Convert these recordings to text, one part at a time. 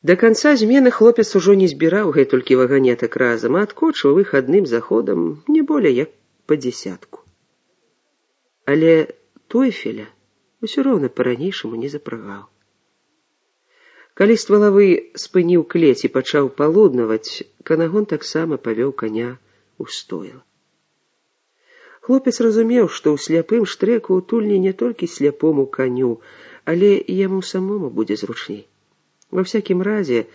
Да канца змены хлопец ужо не збіраў гэтулькі ваганетак разам, а адкочваў іх адным заходам не болей як па дзесятку. Але Тойфеля усё роўна па-ранейшаму не запрагаў. Калі ствалавы спыніў клець і пачаў палуднаваць, Канагон таксама павёў каня ў стойла. Хлопец разумеў, што ў сляпым штрэку утульні не толькі сляпому каню, але і яму самому будзе зручней. Ва всякім разе,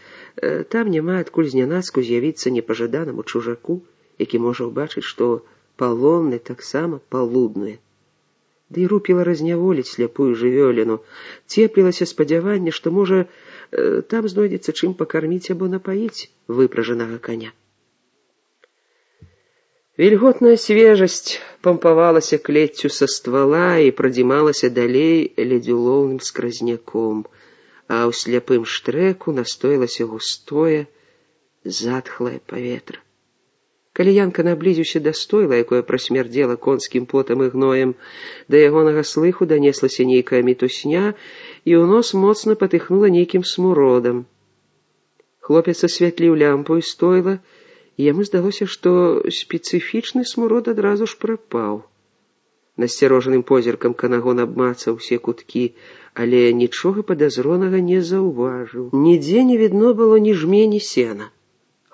там няма адкуль знянацку з'явіцца непажаданаму чужаку, які можа ўбачыць, што палонны таксама палуднуе. Ды і рупіла разняволіць сляпую жывёліну, цеплілася спадзяванне, што, можа, там знойдзецца чым пакарміць або напаіць выпражанага каня. Вільготная свежасць пампавалася клеццю са ствала і прадзімалася далей ледзюлоўным скразняком, а ў сляпым штрэку настоілася густое, затхлае паветра. Калі Янка наблізіўся да стойла, якое прасмярдзела конскім потам і гноем, да ягонага слыху данеслася нейкая мітусня, і ў нос моцна патыхнула нейкім смуродам. Хлопец асвятліў лямпу і стойла, і яму здалося, што спецыфічны смурод адразу ж прапаў. Насцярожаным позіркам Канагон абмацаў усе куткі, але нічога падазронага не заўважыў. Нідзе не відно было ні жмені сена.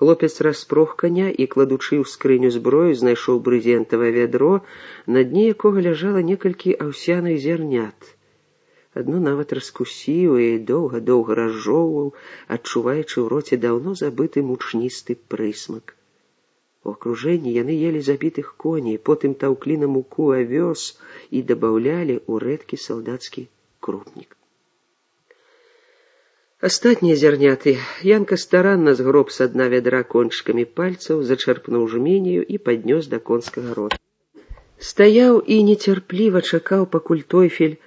Хлопец распрог каня і, кладучы ў скрыню зброю, знайшоў брызентавае вядро, на дне якога ляжала некалькі аўсяных зярнят. Адно нават раскусіў і доўга-доўга разжоўваў, адчуваючы ў роце даўно забыты мучністы прысмак. У акружэнні яны елі забітых коней, потым таўклі на муку авёс і дабаўлялі ў рэдкі салдацкі крупнік. Астатнія зярняты Янка старанна згроб са дна вядра кончыкамі пальцаў, зачарпнуў жменю і паднёс да конскага рота. Стаяў і нецярпліва чакаў, пакуль Тойфель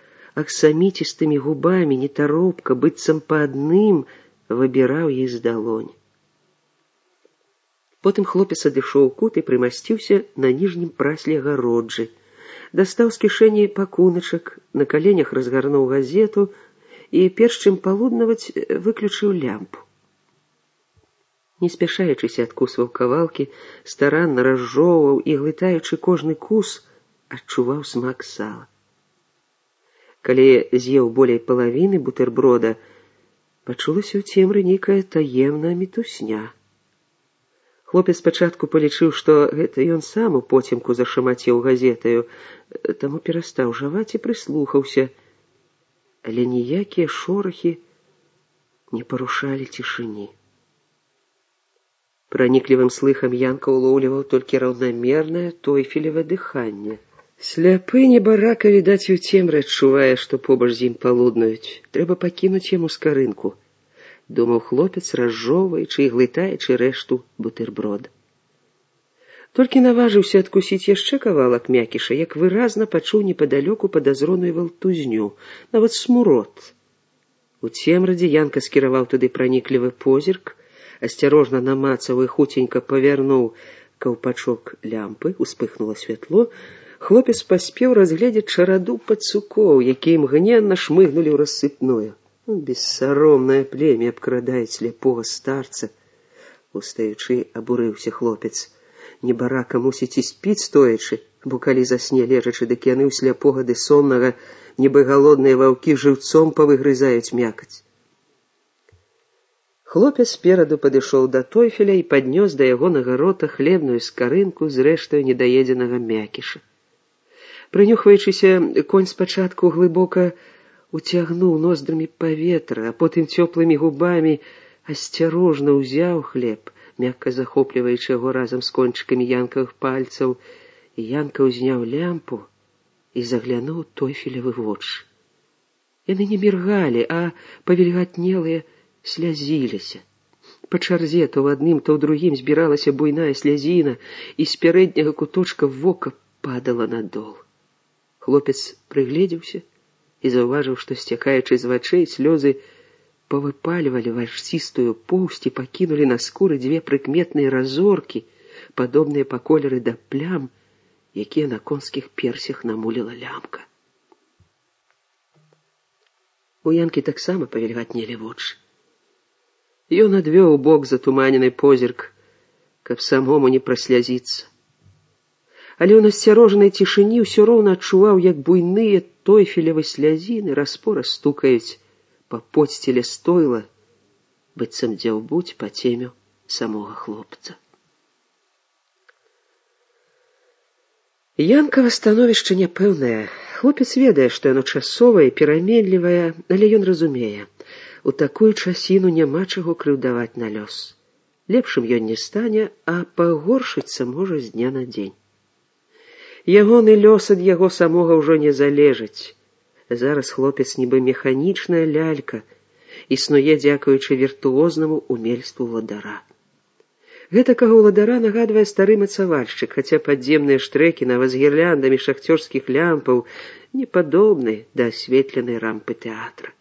аксаміцістымі губамі, нетаропка, быццам па адным, выбіраў іх з далонь. Потым хлопец адышоў у кут і прымасціўся на ніжнім прасле агароджы, дастаў з кішэні пакуначак, на каленях разгарнуў газету і, перш чым палуднаваць, выключыў лямпу. Не спяшаючыся адкусваў кавалкі, старанна разжоўваў і, глытаючы кожны кус, адчуваў смак сала. Калі з'еў болей палавіны бутэрброда, пачулася ў цемры нейкая таемная мітусня. Хлопец спачатку палічыў, што гэта ён сам у поцемку зашамацеў газетаю, таму перастаў жаваць і прыслухаўся, але ніякія шорахі не парушалі цішыні. Праніклівым слыхам Янка ўлоўліваў толькі раўнамернае Тойфелева дыханне. Сляпы небарака, відаць, і ў цемры адчувае, што побач з ім палуднуюць. Трэба пакінуць яму скарынку, думаў хлопец, разжоўваючы і глытаючы рэшту бутэрброда. Толькі наважыўся адкусіць яшчэ кавалак мякіша, як выразна пачуў непадалёку падазроную валтузню, нават смурод. У цемрадзе Янка скіраваў туды праніклівы позірк, асцярожна намацаў і хуценька павярнуў каўпачок лямпы, успыхнула святло. Хлопец паспеў разгледзець чараду пацукоў, якія імгненна шмыгнулі ў рассыпную. Бессаромнае племя абкрадае сляпога старца, устаючы абурыўся хлопец. Небарака мусіць і спіць стоячы, бо калі засне лежачы, дык яны ў сляпога ды соннага, нібы галодныя ваўкі, жыўцом павыгрызаюць мякаць. Хлопец спераду падышоў да Тойфеля і паднёс да ягонага рота хлебную скарынку з рэштаю недаедзенага мякіша. Прынюхваючыся, конь спачатку глыбока уцягнуў ноздрамі паветра, а потым цёплымі губамі асцярожна ўзяў хлеб, мякка захопліваючы яго разам з кончыкамі Янкавых пальцаў. Янка ўзняў лямпу і заглянуў Тойфелевы вочы. Яны не міргалі, а павільгатнелыя слязіліся. Па чарзе то ў адным, то ў другім збіралася буйная слязіна, і з пярэдняга куточка вока падала надол. Хлопец прыгледзеўся і заўважыў, што, сцякаючы з вачэй, слёзы павыпальвалі варсістую поўсць і пакінулі на скуры дзве прыкметныя разоркі, падобныя па колеры да плям, якія на конскіх персях намуліла лямка. У Янкі таксама павільгатнелі вочы. Ён адвёў у бок затуманены позірк, каб самому не праслязіцца. Але ў насцярожанай цішыні ўсё роўна адчуваў, як буйныя тойфелевы слязіны распора стукаюць па подсціле стойла, быццам дзяўбуць па цемю самога хлопца. Янкава становішча няпэўнае. Хлопец ведае, што яно часовае, пераменлівае, але ён разумее. У такую часіну няма чаго крыўдаваць на лёс. Лепшым ён не стане, а пагоршыцца можа з дня на дзень. Ягоны лёс ад яго самога ўжо не залежыць. Зараз хлопец нібы механічная лялька, існуе дзякуючы віртуознаму умельству ўладара. Гэтакага ўладара нагадвае стары мацавальшчык, хаця падземныя штрэкі нават з гірляндамі шахцёрскіх лямпаў не падобны да асветленай рампы тэатра.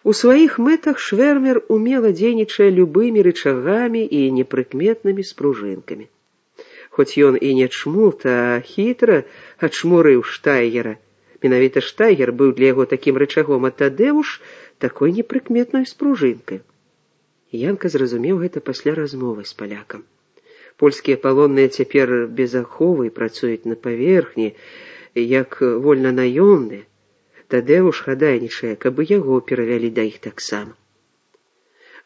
У сваіх мэтах Швэрмер умела дзейнічае любымі рычагамі і непрыкметнымі спружынкамі. Хоць ён і не чмут, а хітра ачмурыў Штайгера. Менавіта Штайгер быў для яго такім рычагом, а Тадэуш такой непрыкметнай спружынкай. Янка зразумеў гэта пасля размовы з палякам. Польскія палонныя цяпер без аховы працуюць на паверхні, як вольнанаёмныя. Тадэуш хадайнічае, каб яго перавялі да іх таксама.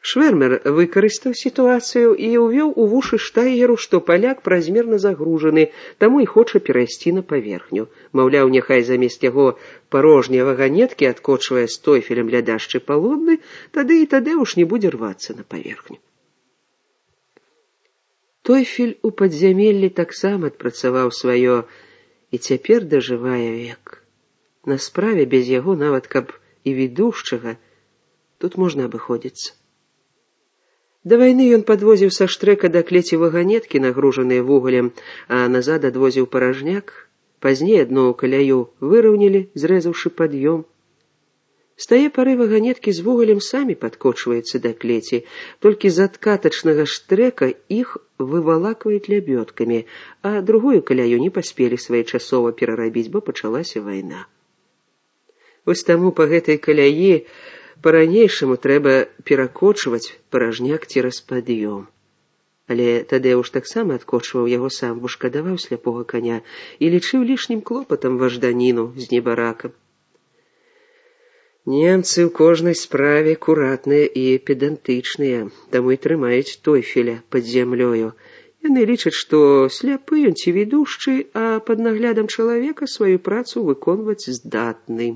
Швэрмер выкарыстаў сітуацыю і ўвёў у вушы Штайгеру, што паляк празмерна загружаны, таму і хоча перайсці на паверхню. Маўляў, няхай замест яго парожнія ваганеткі адкочвае з тойфелем ля дашчы палонны, тады і Тадэуш не будзе рвацца на паверхню. Тойфель у падзямеллі таксама адпрацаваў сваё і цяпер дажывае век. На справе без яго, нават каб і ведушчага, тут можна абыходзіцца. Да вайны ён падвозіў са штрэка да клеці ваганеткі, нагружаныя вугалем, а назад адвозіў паражняк. Пазней адну каляю выраўнялі, зрэзаўшы пад'ём. З тае пары ваганеткі з вугалем самі падкочваюцца да клеці, толькі з адкатачнага штрэка іх вывалакваюць лябёдкамі, а другую каляю не паспелі своечасова перарабіць, бо пачалася вайна. Вось таму па гэтай каляі па-ранейшаму трэба перакочваць паражняк цераз пад'ём. Але Тадэуш таксама адкочваў яго сам, бо шкадаваў сляпога каня і лічыў лішнім клопатам важданіну з небаракам. Немцы ў кожнай справе куратныя і педантычныя, таму і трымаюць тойфеля пад зямлёю. Яны лічаць, што сляпы ён ці ведушчы, а пад наглядам чалавека сваю працу выконваць здатны.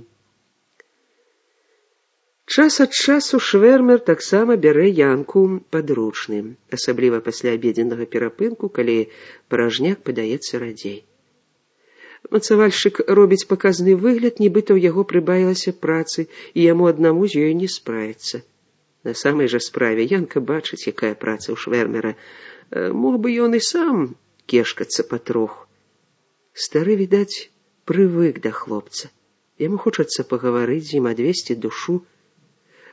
Час ад часу Швэрмер таксама бярэ Янку падручным, асабліва пасля абедзеннага перапынку, калі паражняк падаецца радзей. Мацавальшчык робіць паказны выгляд, нібыта ў яго прыбавілася працы, і яму аднаму з ёй не справіцца. На самай жа справе Янка бачыць, якая праца ў Швэрмера. Мог бы ён і сам кешкацца патроху. Стары, відаць, прывык да хлопца. Яму хочацца пагаварыць з ім, адвесці душу.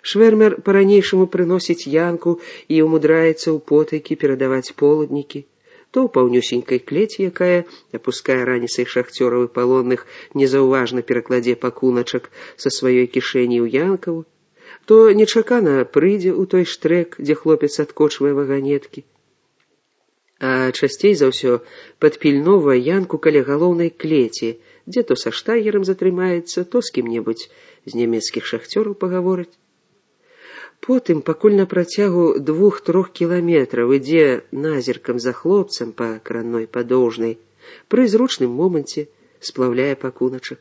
Швэрмер па-ранейшаму прыносіць Янку і ўмудраецца ў потайкі перадаваць полуднікі. То ў паўнюсенькай клеці, якая, апускае раніцай шахцёраў і палонных, незаўважна перакладзе пакуначак са сваёй кішэні ў Янкаву, то нечакана прыйдзе ў той штрэк, дзе хлопец адкочвае ваганеткі. А часцей за ўсё падпільноўвае Янку каля галоўнай клеці, дзе то са Штайгерам затрымаецца, то з кім-небудзь з нямецкіх шахцёраў пагаворыць. Потым, пакуль на працягу 2-3 кіламетраў ідзе назіркам за хлопцам па кранной падоўжнай, пры зручным моманце сплаўляе пакуначак.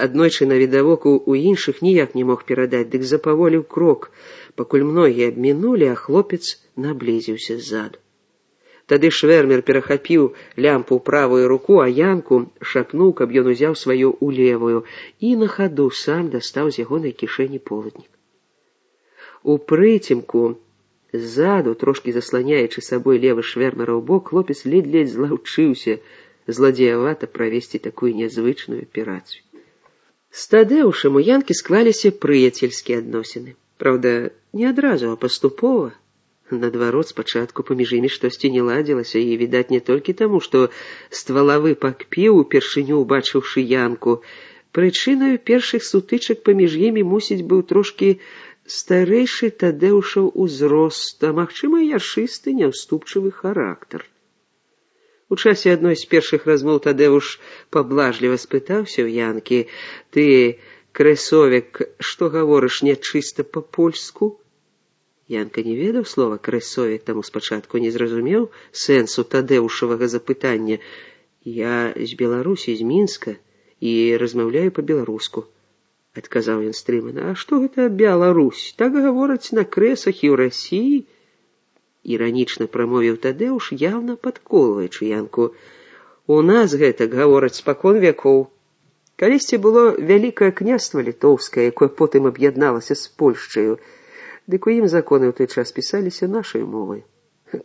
Аднойчы навідавоку ў іншых ніяк не мог перадаць, дык запаволіў крок, пакуль многія абмінулі, а хлопец наблізіўся ззаду. Тады Швэрмер перахапіў лямпу ў правую руку, а Янку шапнуў, каб ён узяў сваю ў левую, і на хаду сам дастаў з ягонай кішэні полуднік. У прыцемку, ззаду, трошкі засланяючы сабой левы Швэрмераў бок, хлопец ледзь-ледзь злаўчыўся зладзеявата правесці такую нязвычную аперацыю. З Тадэушам у Янкі склаліся прыяцельскія адносіны. Праўда, не адразу, а паступова. Наадварот, спачатку паміж імі штосьці не ладзілася, і, відаць, не толькі таму, што ствалавы пакпіў, упершыню убачыўшы Янку. Прычынаю першых сутычак паміж імі, мусіць, быў трошкі старэйшы Тадэўшаў узрост, а магчыма, яршысты, няўступчывы характар. У часе адной з першых размоў Тадэўш паблажліва спытаўся ў Янкі: «Ты, крэсовік, што гаворыш нячыста па-польску?» Янка не ведаў слова «крэсовік», таму спачатку не зразумеў сэнсу Тадэўшавага запытання. «Я з Беларусі, з Мінска, і размаўляю па-беларуску», — адказаў ён стрымана. «А што гэта Беларусь? Так гавораць на крэсах і ў Расіі?» Іранічна прамовіў Тадэўш, яўна падколваючы Янку. «У нас гэтак гавораць спакон вякоў. Калісьці было вялікае княства літоўскае, якое потым аб'ядналася з Польшчаю. Дык у ім законы ў той час пісаліся нашай мовай.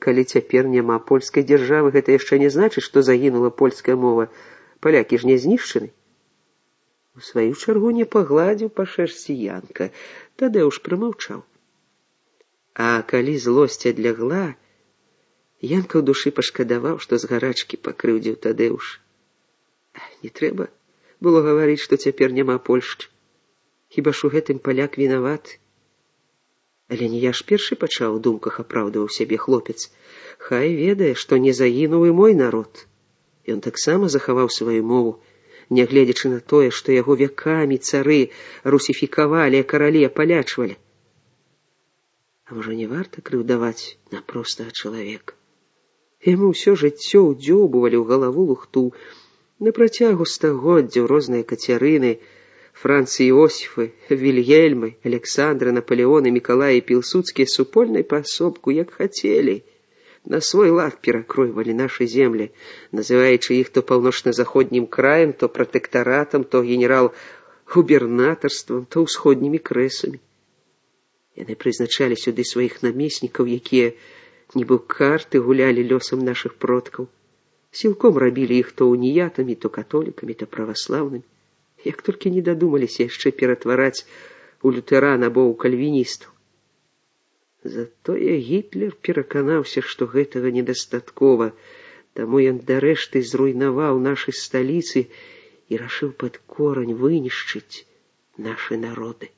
Калі цяпер няма польскай дзяржавы, гэта яшчэ не значыць, што загінула польская мова. Палякі ж не знішчаны». У сваю чаргу не пагладзіў па шэрсці Янка. Тадэўш прамаўчаў. А калі злосць адлягла, Янка ў душы пашкадаваў, што з гарачкі пакрыўдзіў Тадэўш. Не трэба было гаварыць, што цяпер няма Польшчы. Хіба ж у гэтым паляк вінаваты? Але не я ж першы пачаў, у думках апраўдываў сябе хлопец. Хай ведае, што не загінуў і мой народ. Ён таксама захаваў сваю мову, нягледзячы на тое, што яго вякамі цары русіфікавалі, а каралі апалячвалі. А можа, не варта крыўдаваць на простага чалавека? Яму ўсё жыццё ўдзёбывалі ў галаву лухту. На працягу стагоддзяў розныя Кацярыны, Францы Іосіфы, Вільгельмы, Александры, Наполеоны, Мікалаі Пілсудскія супольнай паасобку, як хацелі, на свой лад перакройвалі нашы землі, называючы іх то паўночна-заходнім краем, то пратэктаратам, то генерал-губернатарствам, то ўсходнімі крэсамі. Яны прызначалі сюды сваіх намеснікаў, якія, нібы ў карты, гулялі лёсам нашых продкаў. Сілком рабілі іх то уніятамі, то католікамі, то праваслаўнымі. Як толькі не дадумаліся яшчэ ператвараць у лютэран або ў кальвіністаў. Затое Гітлер пераканаўся, што гэтага недастаткова, таму ён дарэшты зруйнаваў нашы сталіцы і рашыў пад корань вынішчыць нашы народы.